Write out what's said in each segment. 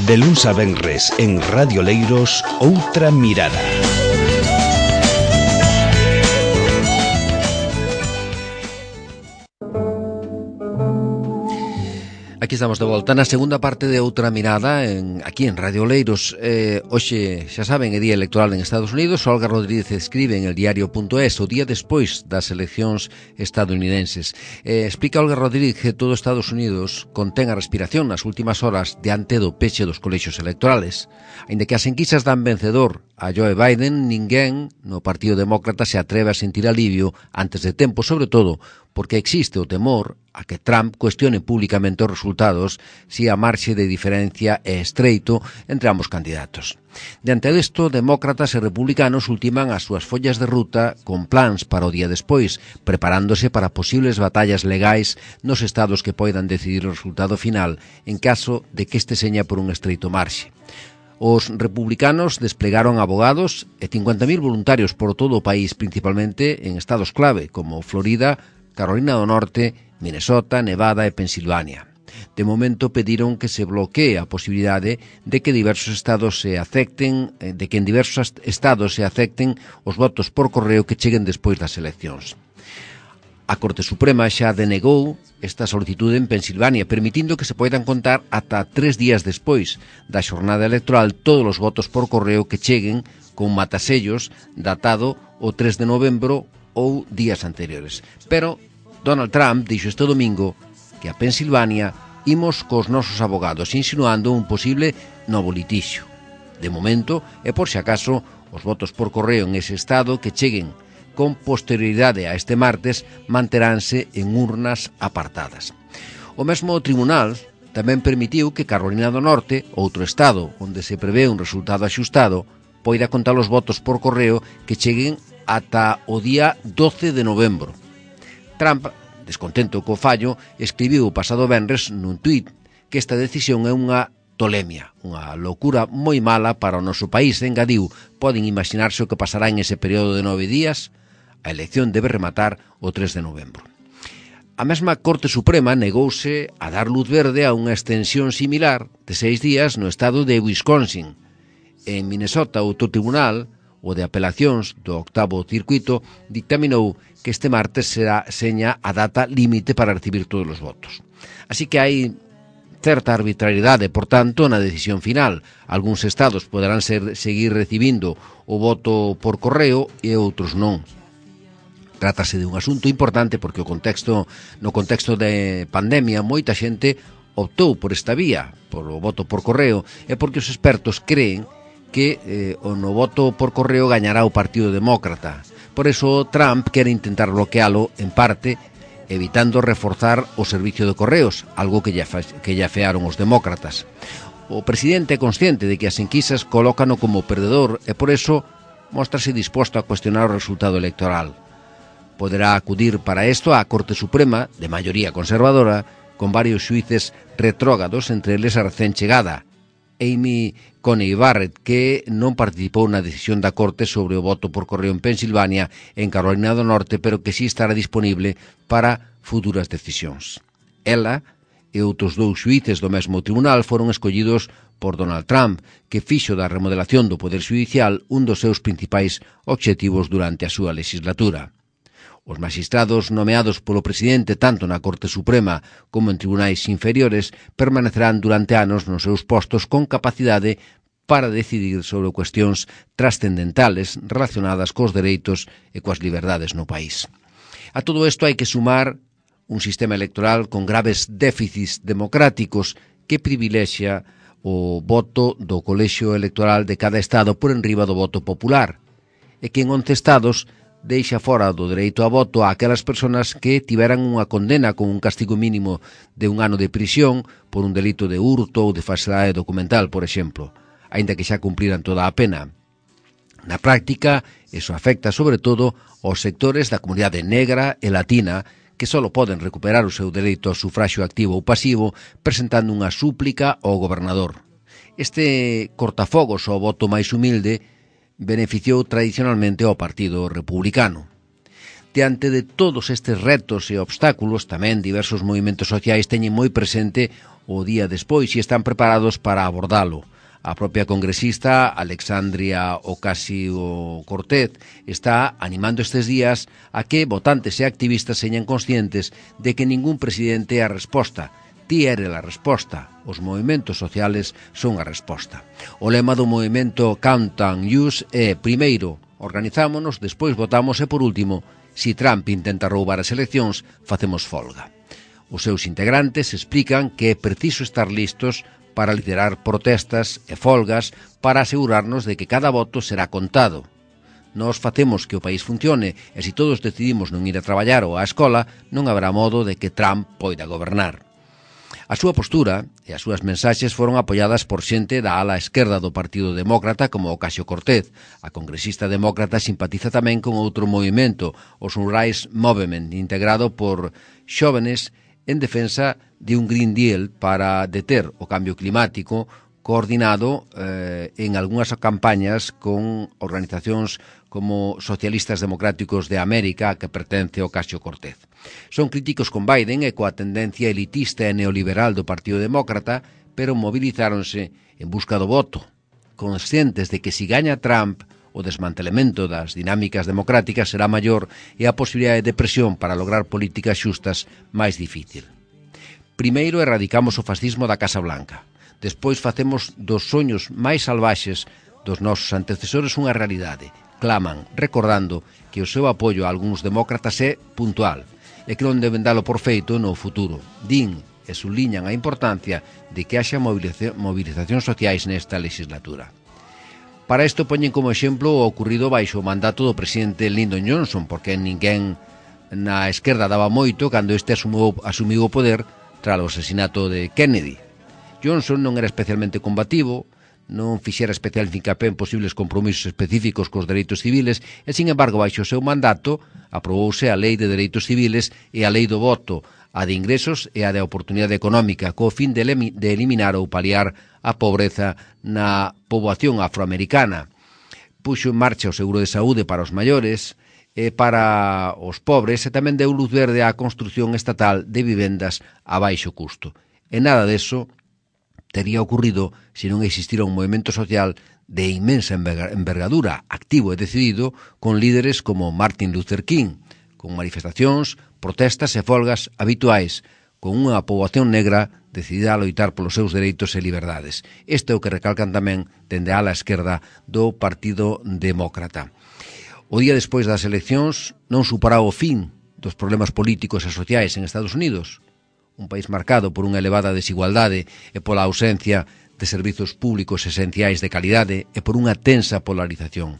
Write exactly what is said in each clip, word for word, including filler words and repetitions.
De luns a venres en Radio Leiros, Outra Mirada. Aquí estamos de volta na segunda parte de Outra Mirada en, aquí en Radio Leiros. eh, Hoxe, xa saben, é día electoral en Estados Unidos. Olga Rodríguez escribe en el diario punto es o día despois das eleccións estadounidenses. eh, Explica Olga Rodríguez que todo Estados Unidos contén a respiración nas últimas horas diante do peche dos colexios electorales. Aínda que as enquisas dan vencedor a Joe Biden, ninguén no Partido Demócrata se atreve a sentir alivio antes de tempo, sobre todo porque existe o temor a que Trump cuestione públicamente os resultados se a marxe de diferencia é estreito entre ambos candidatos. Diante disto, demócratas e republicanos ultiman as súas follas de ruta con plans para o día despois, preparándose para posibles batallas legais nos estados que poidan decidir o resultado final en caso de que este seña por un estreito marxe. Os republicanos desplegaron abogados e cincuenta mil voluntarios por todo o país, principalmente en estados clave como Florida, Carolina do Norte, Minnesota, Nevada e Pensilvania. De momento pediron que se bloquee a posibilidade de que diversos estados se acepten, de que en diversos estados se acepten os votos por correo que cheguen despois das eleccións. A Corte Suprema xa denegou esta solicitude en Pensilvania, permitindo que se poidan contar ata tres días despois da xornada electoral todos os votos por correo que cheguen con matasellos datado o tres de novembro ou días anteriores. Pero Donald Trump dixo este domingo que a Pensilvania imos cos nosos abogados, insinuando un posible novo litixio. De momento, e por si acaso, os votos por correo en ese estado que cheguen con posterioridade a este martes manteránse en urnas apartadas. O mesmo tribunal tamén permitiu que Carolina do Norte, outro estado onde se prevé un resultado axustado, poida contar os votos por correo que cheguen ata o día doce de novembro. Trump, descontento co fallo, escribiu o pasado venres nun tuit que esta decisión é unha tolemia, unha locura moi mala para o noso país. Engadiu, poden imaginarse o que pasará en ese período de nove días. A elección debe rematar o tres de novembro. A mesma Corte Suprema negouse a dar luz verde a unha extensión similar de seis días no estado de Wisconsin. En Minnesota, outro tribunal, o de apelacións do octavo circuito, dictaminou que este martes será seña a data límite para recibir todos os votos. Así que hai certa arbitrariedade, por tanto, na decisión final. Algúns estados poderán ser, seguir recibindo o voto por correo e outros non. Trátase de un asunto importante porque o contexto, no contexto de pandemia moita xente optou por esta vía, por o voto por correo, e porque os expertos creen que eh, o no voto por correo gañará o Partido Demócrata. Por eso Trump quere intentar bloquealo en parte, evitando reforzar o servicio de correos, algo que ya, que ya fearon os demócratas. O presidente é consciente de que as enquisas colócano como perdedor e por eso mostrase disposto a cuestionar o resultado electoral. Poderá acudir para isto á Corte Suprema, de maioría conservadora, con varios xuíces retrógados, entre eles a recén chegada Amy Coney Barrett, que non participou na decisión da Corte sobre o voto por correo en Pensilvania e en Carolina do Norte, pero que si estará disponible para futuras decisións. Ela e outros dous xuíces do mesmo tribunal foron escollidos por Donald Trump, que fixo da remodelación do Poder Xudicial un dos seus principais obxectivos durante a súa legislatura. Os magistrados nomeados polo presidente tanto na Corte Suprema como en tribunais inferiores permanecerán durante anos nos seus postos con capacidade para decidir sobre cuestións trascendentales relacionadas cos dereitos e coas liberdades no país. A todo isto hai que sumar un sistema electoral con graves déficits democráticos que privilexia o voto do colexio electoral de cada estado por enriba do voto popular e que en once estados deixa fora do dereito a voto a aquelas persoas que tiveran unha condena con un castigo mínimo de un ano de prisión por un delito de hurto ou de falsedade documental, por exemplo, aínda que xa cumpriran toda a pena. Na práctica, eso afecta sobre todo aos sectores da comunidade negra e latina que só poden recuperar o seu dereito ao sufraxio activo ou pasivo presentando unha súplica ao gobernador. Este cortafogos ao voto máis humilde beneficiou tradicionalmente ao Partido Republicano. Diante de todos estes retos e obstáculos, tamén diversos movimentos sociais teñen moi presente o día despois e están preparados para abordalo. A propia congresista Alexandria Ocasio-Cortez está animando estes días a que votantes e activistas señan conscientes de que ningún presidente é a resposta. Ti eres a resposta. Os movimentos sociales son a resposta. O lema do movimento Count and Use é, primeiro, organizámonos, despois votamos e, por último, si Trump intenta roubar as eleccións, facemos folga. Os seus integrantes explican que é preciso estar listos para liderar protestas e folgas para asegurarnos de que cada voto será contado. Nós facemos que o país funcione e se todos decidimos non ir a traballar ou á escola, non haberá modo de que Trump poida gobernar. A súa postura e as súas mensaxes foron apoiadas por xente da ala esquerda do Partido Demócrata como Ocasio-Cortez. A congresista demócrata simpatiza tamén con outro movimento, o Sunrise Movement, integrado por xóvenes en defensa de un Green Deal para deter o cambio climático, coordinado eh, en algunhas campañas con organizacións como Socialistas Democráticos de América, que pertence ao Ocasio-Cortez. Son críticos con Biden e coa tendencia elitista e neoliberal do Partido Demócrata, pero movilizáronse en busca do voto, conscientes de que si gaña Trump, o desmantelemento das dinámicas democráticas será maior e a posibilidade de presión para lograr políticas xustas máis difícil. Primeiro erradicamos o fascismo da Casa Blanca. Despois facemos dos soños máis salvaxes dos nosos antecesores unha realidade. Claman, recordando que o seu apoio a algúns demócratas é puntual e que non deben dalo por feito no futuro. Din e subliñan a importancia de que haxa movilizacións sociais nesta legislatura. Para isto poñen como exemplo o ocurrido baixo o mandato do presidente Lyndon Johnson, porque ninguén na esquerda daba moito cando este asumiu, asumiu o poder tras o asesinato de Kennedy. Johnson non era especialmente combativo, non fixera especial fincapé en posibles compromisos específicos cos dereitos civiles e, sin embargo, baixo o seu mandato aprobouse a Lei de Dereitos Civiles e a Lei do Voto, a de ingresos e a de oportunidade económica, co fin de eliminar ou paliar a pobreza na poboación afroamericana. Puxo en marcha o seguro de saúde para os maiores e para os pobres e tamén deu luz verde á construción estatal de vivendas a baixo custo. E nada deso tería ocurrido se non existira un movimento social de inmensa envergadura, activo e decidido, con líderes como Martin Luther King, con manifestacións, protestas e folgas habituais, con unha poboación negra decidida a loitar polos seus dereitos e liberdades. Este é o que recalcan tamén dende a ala esquerda do Partido Demócrata. O día despois das eleccións non suporá o fin dos problemas políticos e sociais en Estados Unidos, un país marcado por unha elevada desigualdade e pola ausencia de servizos públicos esenciais de calidade e por unha tensa polarización.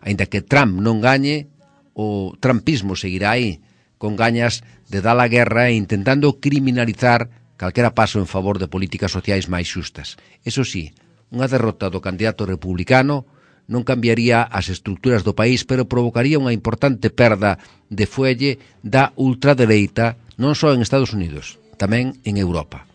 Aínda que Trump non gañe, o trumpismo seguirá aí, con gañas de dar a guerra e intentando criminalizar calquera paso en favor de políticas sociais máis xustas. Eso sí, unha derrota do candidato republicano non cambiaría as estruturas do país, pero provocaría unha importante perda de fuelle da ultradereita non só en Estados Unidos, tamén en Europa.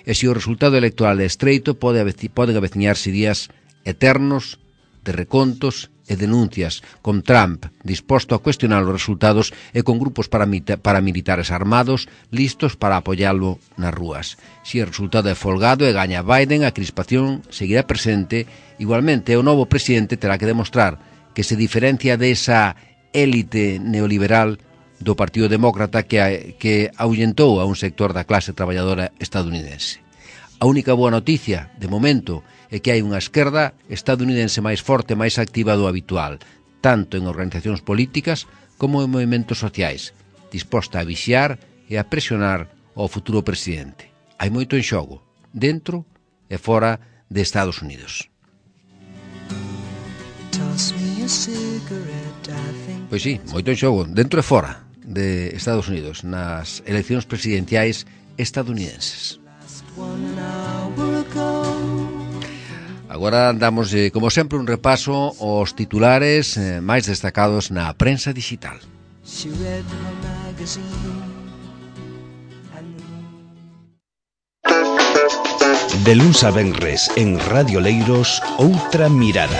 E se o resultado electoral é estreito, pode poden aveciñarse días eternos de recontos e denuncias, con Trump disposto a cuestionar os resultados e con grupos paramilitares armados listos para apoialo nas rúas. Se o resultado é folgado e gaña Biden, a crispación seguirá presente. Igualmente, o novo presidente terá que demostrar que se diferencia desa élite neoliberal do Partido Demócrata que, que ahuyentou a un sector da clase traballadora estadounidense. A única boa noticia, de momento, é que hai unha esquerda estadounidense máis forte e máis activa do habitual, tanto en organizacións políticas como en movimentos sociais, disposta a vixiar e a presionar ao futuro presidente. Hai moito en xogo, dentro e fora de Estados Unidos. Pois sí, moito en xogo, dentro e fora de Estados Unidos, nas eleccións presidenciais estadounidenses. Agora damos, eh, como sempre, un repaso aos titulares eh, máis destacados na prensa digital. De luns a venres en Radio Leiros, Outra Mirada.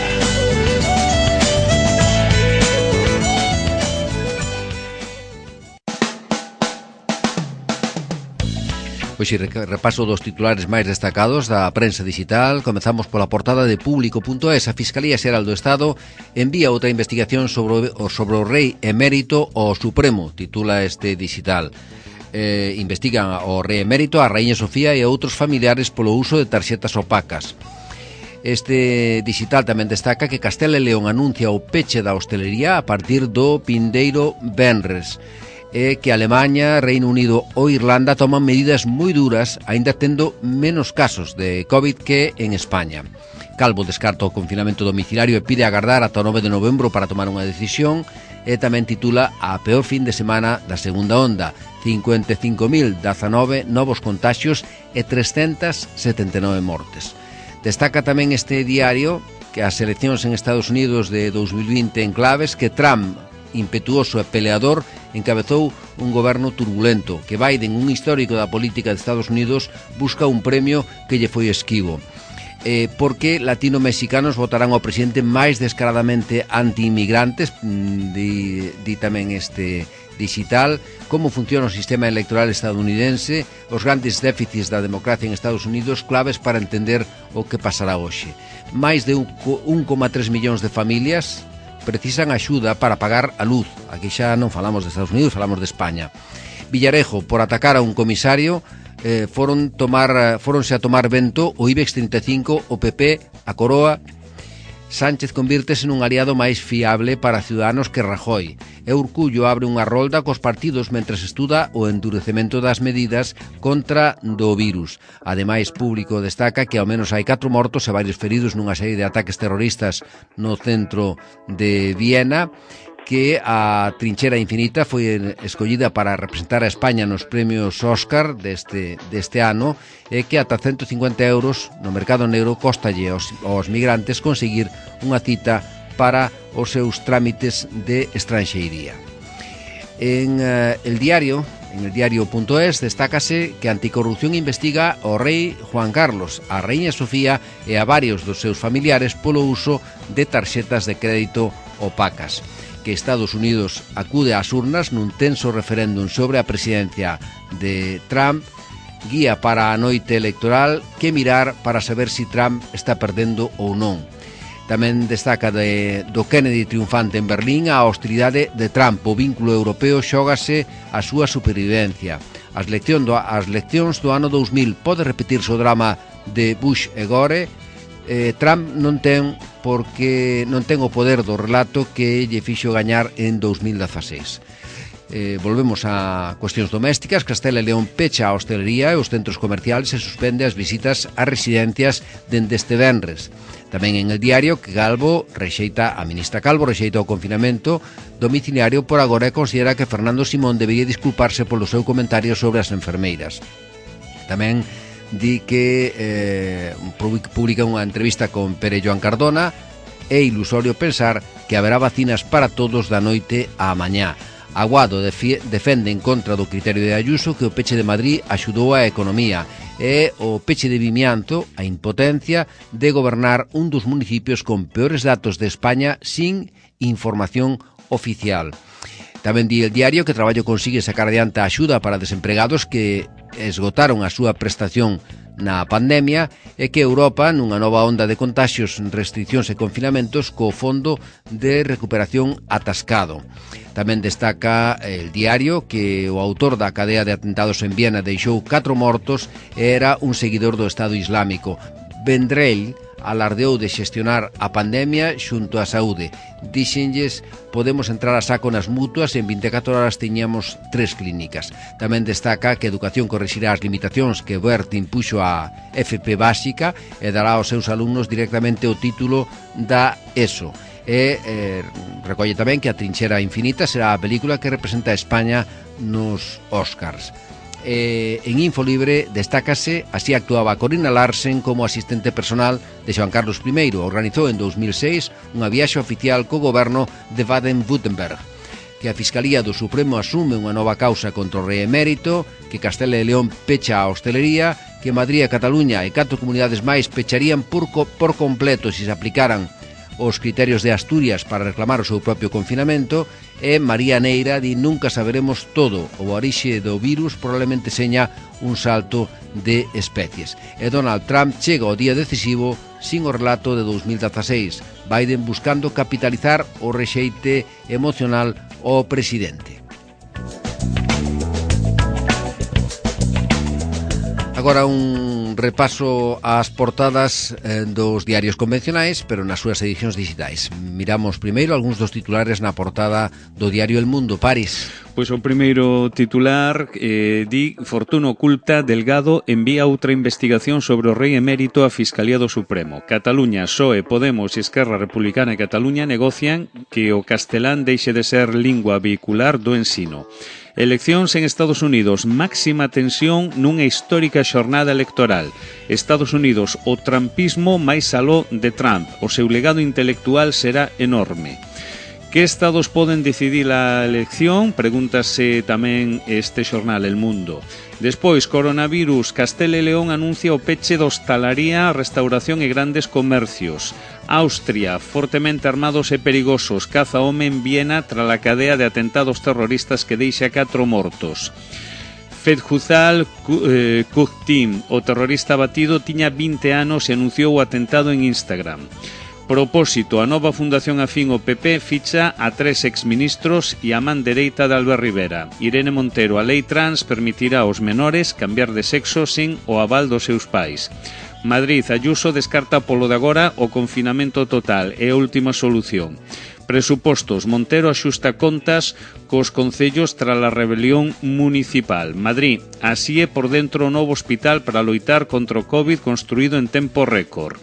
Pois si, repaso dos titulares máis destacados da prensa digital. Comezamos pola portada de Público punto es. A Fiscalía Xeral do Estado envía outra investigación sobre o, sobre o rei emérito ao Supremo, titula este digital. Eh, investigan o rei emérito, a raíña Sofía e a outros familiares polo uso de tarxetas opacas. Este digital tamén destaca que Castela e León anuncia o peche da hostelería a partir do vindeiro venres, e que Alemania, Reino Unido ou Irlanda toman medidas moi duras, aínda tendo menos casos de COVID que en España. Calvo descarta o confinamento domiciliario e pide agardar ata o nove de novembro para tomar unha decisión, e tamén titula a peor fin de semana da segunda onda, cincuenta e cinco mil dezanove novos contagios e trescentas setenta e nove mortes. Destaca tamén este diario que as eleccións en Estados Unidos de dos mil vinte en claves, que Trump, impetuoso e peleador, encabezou un goberno turbulento, que Biden, un histórico da política de Estados Unidos, busca un premio que lle foi esquivo. Eh, porque latino-mexicanos votarán ao presidente máis descaradamente anti-inmigrantes, di, di tamén este digital, como funciona o sistema electoral estadounidense, os grandes déficits da democracia en Estados Unidos, claves para entender o que pasará hoxe. Máis de un coma tres millóns de familias precisan axuda para pagar a luz. Aquí xa non falamos de Estados Unidos, falamos de España. Villarejo, por atacar a un comisario, eh, foron tomar, foronse a tomar vento o IBEX trinta e cinco, o P P, a Coroa. Sánchez convírtese nun aliado máis fiable para Ciudadanos que Rajoy. E Urcullo abre unha rolda cos partidos mentres estuda o endurecemento das medidas contra do virus. Ademais, Público destaca que ao menos hai catro mortos e varios feridos nunha serie de ataques terroristas no centro de Viena, que a Trinchera Infinita foi escollida para representar a España nos premios Óscar deste, deste ano, e que ata ciento cincuenta euros no mercado negro costalle aos, aos migrantes conseguir unha cita para os seus trámites de estranxeiría. En uh, el diario, en el diario punto es, destácase que Anticorrupción investiga ao rei Juan Carlos, a raíña Sofía e a varios dos seus familiares polo uso de tarxetas de crédito opacas. Que Estados Unidos acude ás urnas nun tenso referéndum sobre a presidencia de Trump, guía para a noite electoral, que mirar para saber si Trump está perdendo ou non. Tamén destaca de, do Kennedy triunfante en Berlín a hostilidade de Trump. O vínculo europeo xógase a súa supervivencia. As, lección do, as leccións do ano dous mil, pode repetirse o drama de Bush e Gore. Eh, Trump non ten porque non ten o poder do relato que lle fixo gañar en dous mil dezaseis. Eh, volvemos a cuestións domésticas. Castela e León pecha a hostelería e os centros comerciales e suspende as visitas ás residencias dende este venres. Tamén en el diario que Calvo rexeita, a ministra Calvo rexeita o confinamento domiciliario por agora e considera que Fernando Simón debería disculparse polo seu comentario sobre as enfermeiras. Tamén di que eh, publica unha entrevista con Pere Joan Cardona. É ilusorio pensar que haberá vacinas para todos da noite á mañá. Aguado defende en contra do criterio de Ayuso que o peche de Madrid axudou a economía, e o peche de Vimianto a impotencia de gobernar un dos municipios con peores datos de España sin información oficial. Tamén di el diario que Traballo consigue sacar adiante a axuda para desempregados que esgotaron a súa prestación na pandemia, e que Europa, nunha nova onda de contaxios, restriccións e confinamentos, co fondo de recuperación atascado. Tamén destaca el diario que o autor da cadea de atentados en Viena deixou catro mortos e era un seguidor do Estado Islámico. Vendrell alardeou de xestionar a pandemia xunto á saúde. Dixenlles, podemos entrar a saco nas mutuas e en vinte e catro horas tiñamos tres clínicas. Tamén destaca que Educación corrixirá as limitacións que Wert impuxo á F P básica e dará aos seus alumnos directamente o título da ESO. E eh, recolle tamén que A Trinchera Infinita será a película que representa a España nos Óscars. Eh, en Infolibre destácase así actuaba Corina Larsen como asistente personal de Xoán Carlos primeiro. Organizou en dous mil seis unha viaxe oficial co goberno de Baden-Württemberg. Que a Fiscalía do Supremo asume unha nova causa contra o rei emérito, que Castela e León pecha a hostelería, que Madrid e Cataluña e catro comunidades máis pecharían por, co, por completo se se aplicaran os criterios de Asturias para reclamar o seu propio confinamento, e María Neira di nunca saberemos todo, o orixe do virus probablemente seña un salto de especies. E Donald Trump chega ao día decisivo sin o relato de dos mil dieciséis, Biden buscando capitalizar o rexeite emocional ao presidente. Agora un repaso ás portadas eh, dos diarios convencionais, pero nas súas edicións digitais. Miramos primeiro algúns dos titulares na portada do diario El Mundo. Paris. Pois o primeiro titular eh, di: Fortuna oculta, Delgado envía outra investigación sobre o rei emérito á Fiscalía do Supremo. Cataluña, P S O E, Podemos e Esquerra Republicana e Cataluña negocian que o castelán deixe de ser lingua vehicular do ensino. Eleccións en Estados Unidos, máxima tensión nunha histórica xornada electoral. Estados Unidos, o trampismo máis aló de Trump. O seu legado intelectual será enorme. Que estados poden decidir a elección? Pregúntase tamén este xornal El Mundo. Despois, coronavirus, Castela e León anuncia o peche da hostalaría, restauración e grandes comercios. Austria, fortemente armados e perigosos, caza home en Viena tras a cadea de atentados terroristas que deixa catro mortos. Fethullah Gulen, o terrorista batido, tiña vinte anos e anunciou o atentado en Instagram. Propósito, a nova Fundación Afín o P P ficha a tres exministros e a man dereita de Albert Rivera. Irene Montero, a lei trans permitirá aos menores cambiar de sexo sin o aval dos seus pais. Madrid, Ayuso descarta polo de agora o confinamento total, é a última solución. Presupostos, Montero axusta contas cos concellos tras a rebelión municipal. Madrid, así é por dentro o novo hospital para loitar contra o COVID construído en tempo récord.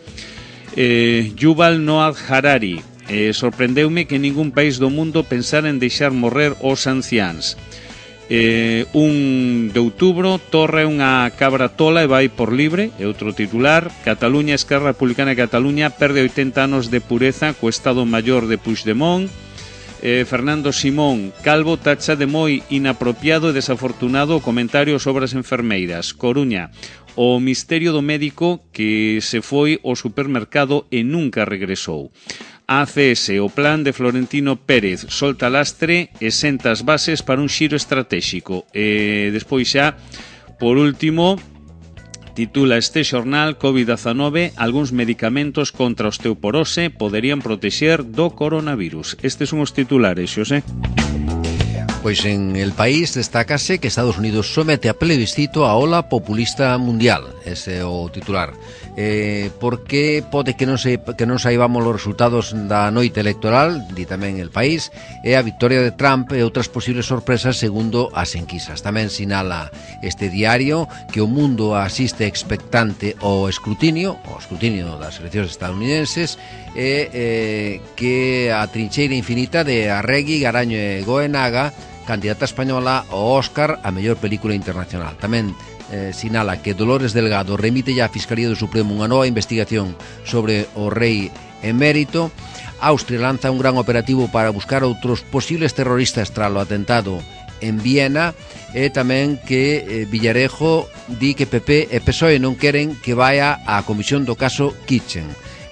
Eh, Yuval Noah Harari, eh, sorprendeume que ningún país do mundo pensara en deixar morrer os anciáns. Eh, un de outubro, Torra é unha cabra tola e vai por libre, é outro titular. Cataluña, Esquerra Republicana e Cataluña perde oitenta anos de pureza co Estado Maior de Puigdemont. eh, Fernando Simón, Calvo tacha de moi inapropiado e desafortunado o comentario sobre as enfermeiras. Coruña, o misterio do médico que se foi ao supermercado e nunca regresou. A C S, o plan de Florentino Pérez, solta lastre e senta as bases para un xiro estratégico. E despois xa, por último, titula este xornal COVID diecinueve, algúns medicamentos contra a osteoporose poderían protexer do coronavirus. Estes son os titulares, Xosé. Pois en El País destácase que Estados Unidos somete a plebiscito a ola populista mundial, ese é o titular. Eh, porque pode que non, se, que non saibamos os resultados da noite electoral, di tamén El País, e a victoria de Trump e outras posibles sorpresas segundo as enquisas. Tamén sinala este diario que o mundo asiste expectante ao escrutinio, ao escrutinio das eleccións estadounidenses, e eh, que a trincheira infinita de Arregui, Garaño e Goenaga, candidata española ao Óscar a mellor película internacional. Tamén eh, sinala que Dolores Delgado remite ya á Fiscalía do Supremo unha nova investigación sobre o rei emérito. Austria lanza un gran operativo para buscar outros posibles terroristas tras o atentado en Viena, e tamén que eh, Villarejo di que P P e P S O E non queren que vaya á comisión do caso Kitchen.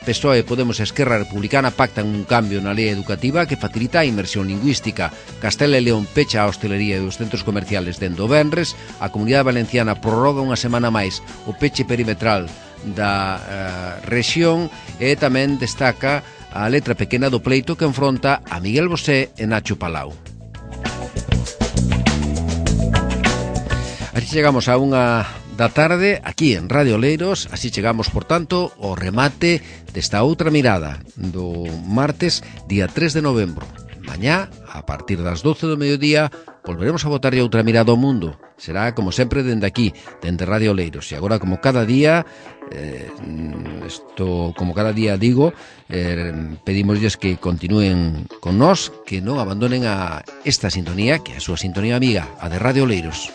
P S O E, Podemos e Esquerra Republicana pactan un cambio na lei educativa que facilita a inmersión lingüística. Castela e León pecha a hostelería e os centros comerciales dende o venres. A Comunidade Valenciana prorroga unha semana máis o peche perimetral da uh, rexión, e tamén destaca a letra pequena do pleito que enfronta a Miguel Bosé e Nacho Palau. Así chegamos a unha da tarde aquí en Radio Oleiros. Así chegamos, por tanto, ao remate desta outra mirada do martes, día tres de novembro. Mañá, a partir das doce do mediodía, volveremos a botarlle outra mirada ao mundo. Será, como sempre, dende aquí, dende Radio Oleiros. E agora, como cada día, eh, esto, como cada día digo, eh, pedimosles que continúen con nós, que non abandonen a esta sintonía, que é a súa sintonía amiga, a de Radio Oleiros.